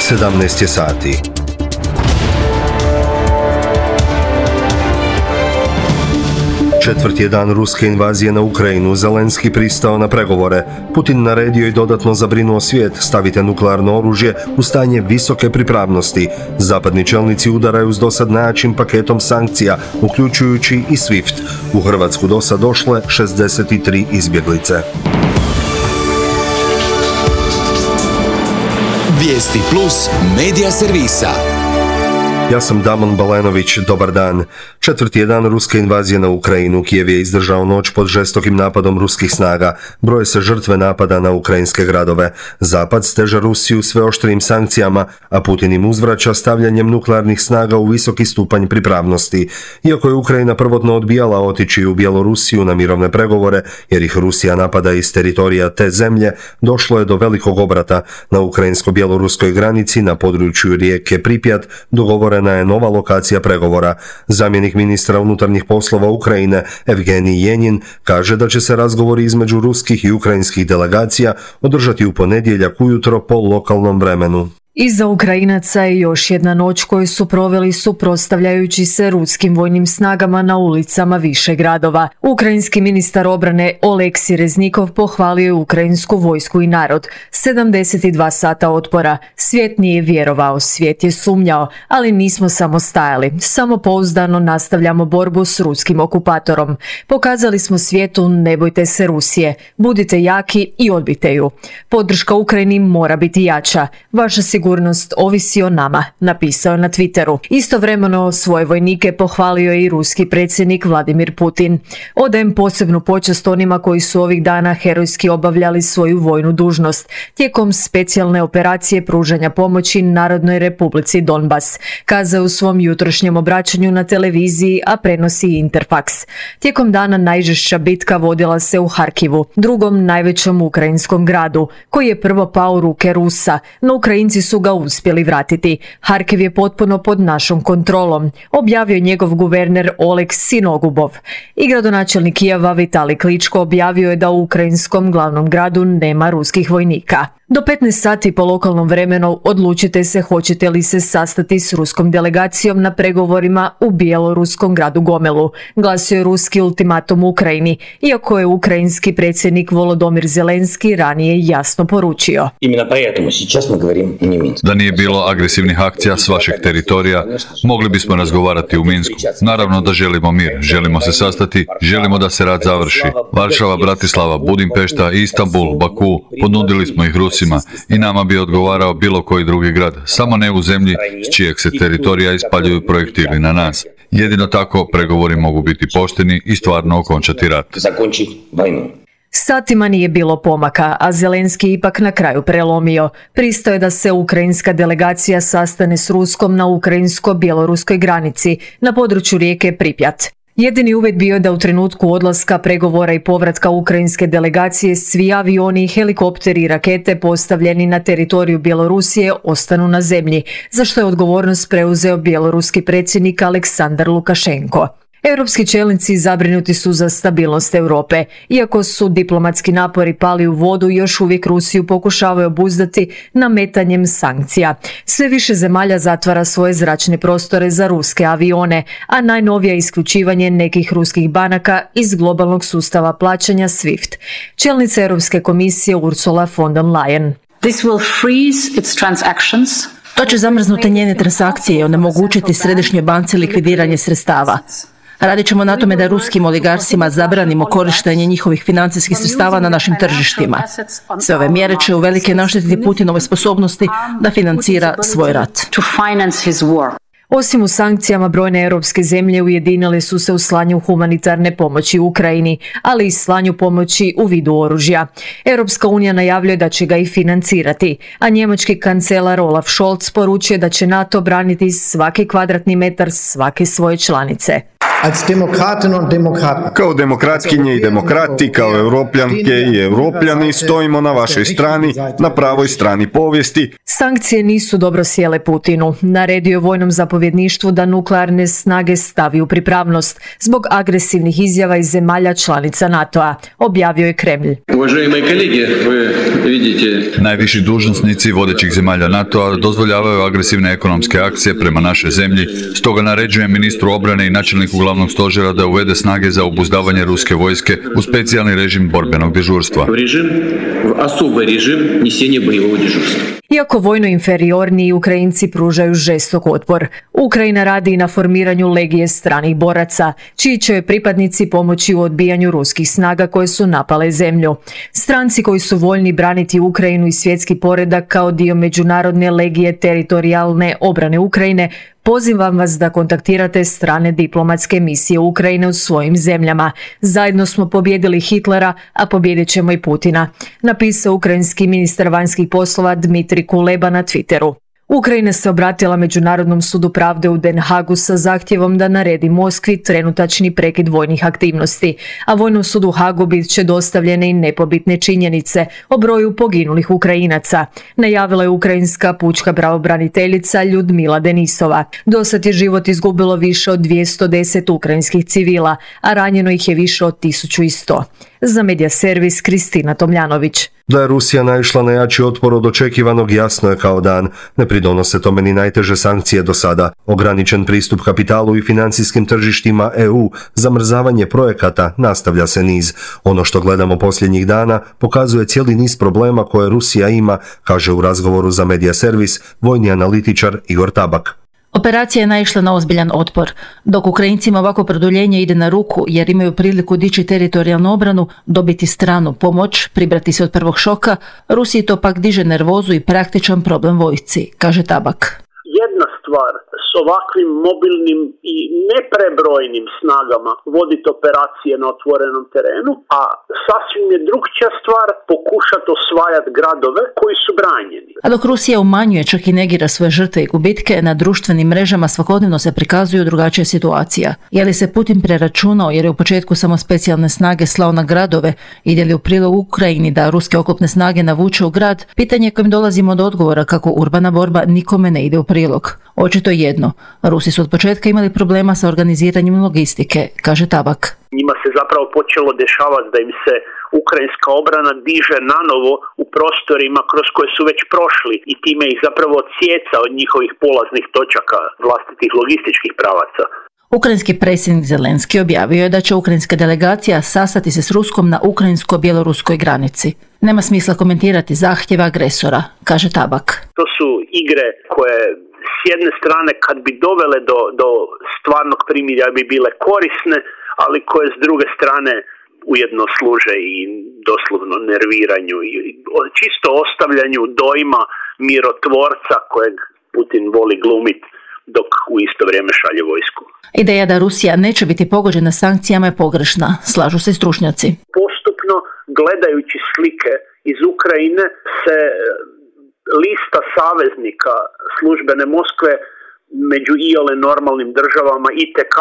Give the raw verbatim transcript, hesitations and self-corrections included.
sedamnaest je sati. Četvrti je dan ruske invazije na Ukrajinu, Zelenski pristao na pregovore. Putin naredio i dodatno zabrinuo svijet, stavite nuklearno oružje u stanje visoke pripravnosti. Zapadni čelnici udaraju s dosad najjačim paketom sankcija, uključujući i SWIFT. U Hrvatsku dosad došle šezdeset tri izbjeglice. Vijesti plus medija servisa. Ja sam Damon Balenović, dobar dan. Četvrti je dan ruske invazije na Ukrajinu. Kijev je izdržao noć pod žestokim napadom ruskih snaga. Broje se žrtve napada na ukrajinske gradove. Zapad steže Rusiju sve oštrijim sankcijama, a Putin im uzvraća stavljanjem nuklearnih snaga u visoki stupanj pripravnosti. Iako je Ukrajina prvotno odbijala otići u Bjelorusiju na mirovne pregovore, jer ih Rusija napada iz teritorija te zemlje, došlo je do velikog obrata. Na ukrajinsko-bjeloruskoj granici na području rijeke Pripjat dogovorena je nova lokacija pregovora. Zamjenik ministra unutarnjih poslova Ukrajine Evgenij Jenin kaže da će se razgovori između ruskih i ukrajinskih delegacija održati u ponedjeljak ujutro po lokalnom vremenu. Iza Ukrajinaca je još jedna noć koju su proveli suprotstavljajući se ruskim vojnim snagama na ulicama više gradova. Ukrajinski ministar obrane Oleksij Reznikov pohvalio je ukrajinsku vojsku i narod. sedamdeset dva sata otpora. Svijet nije vjerovao, svijet je sumnjao, ali nismo samo stajali. Samopouzdano nastavljamo borbu s ruskim okupatorom. Pokazali smo svijetu, ne bojte se Rusije. Budite jaki i odbite ju. Podrška Ukrajini mora biti jača. Vaša sigurnost Sigurnost ovisi o nama, napisao na Twitteru. Istovremeno svoje vojnike pohvalio je i ruski predsjednik Vladimir Putin. Odajem posebnu počast onima koji su ovih dana herojski obavljali svoju vojnu dužnost tijekom specijalne operacije pružanja pomoći Narodnoj Republici Donbas, kazao u svom jutrošnjem obraćanju na televiziji, a prenosi Interfax. Tijekom dana najžešća bitka vodila se u Harkivu, drugom najvećem ukrajinskom gradu, koji je prvo pao u ruke Rusa, no Ukrajinci su su ga uspjeli vratiti. Harkiv je potpuno pod našom kontrolom, objavio njegov guverner Oleg Sinogubov. I gradonačelnik Kijeva Vitali Kličko objavio je da u ukrajinskom glavnom gradu nema ruskih vojnika. Do petnaest sati po lokalnom vremenu odlučite se hoćete li se sastati s ruskom delegacijom na pregovorima u bjeloruskom gradu Gomelu, glasio je ruski ultimatum Ukrajini, iako je ukrajinski predsjednik Volodymyr Zelenski ranije jasno poručio. Da nije bilo agresivnih akcija s vašeg teritorija, mogli bismo razgovarati u Minsku. Naravno da želimo mir, želimo se sastati, želimo da se rat završi. Varšava, Bratislava, Budimpešta, Istanbul, Baku, ponudili smo ih Rusima i nama bi odgovarao bilo koji drugi grad, samo ne u zemlji s čijeg se teritorija ispaljuju projektili na nas. Jedino tako pregovori mogu biti pošteni i stvarno okončati rat. Satima nije bilo pomaka, a Zelenski ipak na kraju prelomio. Pristao je da se ukrajinska delegacija sastane s Ruskom na ukrajinsko-bjeloruskoj granici, na području rijeke Pripjat. Jedini uvjet bio da u trenutku odlaska pregovora i povratka ukrajinske delegacije svi avioni, helikopteri i rakete postavljeni na teritoriju Bjelorusije ostanu na zemlji, za što je odgovornost preuzeo bjeloruski predsjednik Aleksandar Lukašenko. Europski čelnici zabrinuti su za stabilnost Europe. Iako su diplomatski napori pali u vodu, još uvijek Rusiju pokušavaju obuzdati nametanjem sankcija. Sve više zemalja zatvara svoje zračne prostore za ruske avione, a najnovije isključivanje nekih ruskih banaka iz globalnog sustava plaćanja SWIFT. Čelnica Europske komisije Ursula von der Leyen. This will freeze its transactions. To će zamrznuti njene transakcije i onemogućiti središnjoj banci likvidiranje sredstava. Radit ćemo na tome da ruskim oligarsima zabranimo korištenje njihovih financijskih sredstava na našim tržištima. Sve ove mjere će uvelike naštetiti Putinove sposobnosti da financira svoj rat. Osim u sankcijama, brojne europske zemlje ujedinile su se u slanju humanitarne pomoći u Ukrajini, ali i slanju pomoći u vidu oružja. Europska unija najavljuje da će ga i financirati, a njemački kancelar Olaf Scholz poručuje da će NATO braniti svaki kvadratni metar svake svoje članice. Kao demokratkinje i demokrati, kao europljanke i europljani stojimo na vašoj strani, na pravoj strani povijesti. Sankcije nisu dobro sjele Putinu. Naredio je vojnom zapovjedništvu da nuklearne snage stavi u pripravnost zbog agresivnih izjava iz zemalja članica NATO-a, objavio je Kremlj. Najviši dužnosnici vodećih zemalja NATO-a dozvoljavaju agresivne ekonomske akcije prema našoj zemlji, stoga naređujem ministru obrane i načelniku glavnog stožera da uvede snage za obuzdavanje ruske vojske u specijalni režim borbenog dežurstva. Iako vojno inferiorniji Ukrajinci pružaju žestok otpor, Ukrajina radi i na formiranju legije stranih boraca, čiji će joj pripadnici pomoći u odbijanju ruskih snaga koje su napale zemlju. Stranci koji su voljni braniti Ukrajinu i svjetski poredak kao dio međunarodne legije teritorijalne obrane Ukrajine, pozivam vas da kontaktirate strane diplomatske misije Ukrajine u svojim zemljama. Zajedno smo pobijedili Hitlera, a pobijedit ćemo i Putina, napisao ukrajinski ministar vanjskih poslova Dmitrij Kuleba na Twitteru. Ukrajina se obratila Međunarodnom sudu pravde u Den Hagu sa zahtjevom da naredi Moskvi trenutačni prekid vojnih aktivnosti, a Vojnom sudu u Hagu bit će dostavljene i nepobitne činjenice o broju poginulih Ukrajinaca, najavila je ukrajinska pučka pravobraniteljica Ljudmila Denisova. Dosad je život izgubilo više od dvjesto deset ukrajinskih civila, a ranjeno ih je više od tisuću sto. Za Medija servis Kristina Tomljanović. Da je Rusija naišla na jači otpor od očekivanog jasno je kao dan. Ne pridonose tome ni najteže sankcije do sada. Ograničen pristup kapitalu i financijskim tržištima E U, zamrzavanje projekata, nastavlja se niz. Ono što gledamo posljednjih dana pokazuje cijeli niz problema koje Rusija ima, kaže u razgovoru za Medija servis vojni analitičar Igor Tabak. Operacija je naišla na ozbiljan otpor. Dok Ukrajincima ovako produljenje ide na ruku jer imaju priliku dići teritorijalnu obranu, dobiti stranu pomoć, pribrati se od prvog šoka, Rusiji to pak diže nervozu i praktičan problem vojsci, kaže Tabak. Jedna stvar s ovakvim mobilnim i neprebrojnim snagama voditi operacije na otvorenom terenu, a sasvim je drugčija stvar pokušati osvajati gradove koji su branjeni. A dok Rusija umanjuje, čak i negira svoje žrtve i gubitke, na društvenim mrežama svakodnevno se prikazuju drugačija situacija. Je li se Putin preračunao jer je u početku samo specijalne snage slao na gradove, ide li u prilog Ukrajini da ruske oklopne snage navuče u grad, pitanje kojim dolazimo do odgovora kako urbana borba nikome ne ide u prilog. Očito jedno, Rusi su od početka imali problema sa organiziranjem logistike, kaže Tabak. Njima se zapravo počelo dešavati da im se ukrajinska obrana diže nanovo u prostorima kroz koje su već prošli i time ih zapravo odsjeca od njihovih polaznih točaka, vlastitih logističkih pravaca. Ukrajinski predsjednik Zelenski objavio je da će ukrajinska delegacija sastati se s Ruskom na ukrajinsko-bjeloruskoj granici. Nema smisla komentirati zahtjeve agresora, kaže Tabak. To su igre koje s jedne strane kad bi dovele do, do stvarnog primirja bi bile korisne, ali koje s druge strane ujedno služe i doslovno nerviranju i čisto ostavljanju dojma mirotvorca kojeg Putin voli glumiti dok u isto vrijeme šalje vojsku. Ideja da Rusija neće biti pogođena sankcijama je pogrešna, slažu se stručnjaci. Postupno, gledajući slike iz Ukrajine, se lista saveznika službene Moskve među iole normalnim državama itekako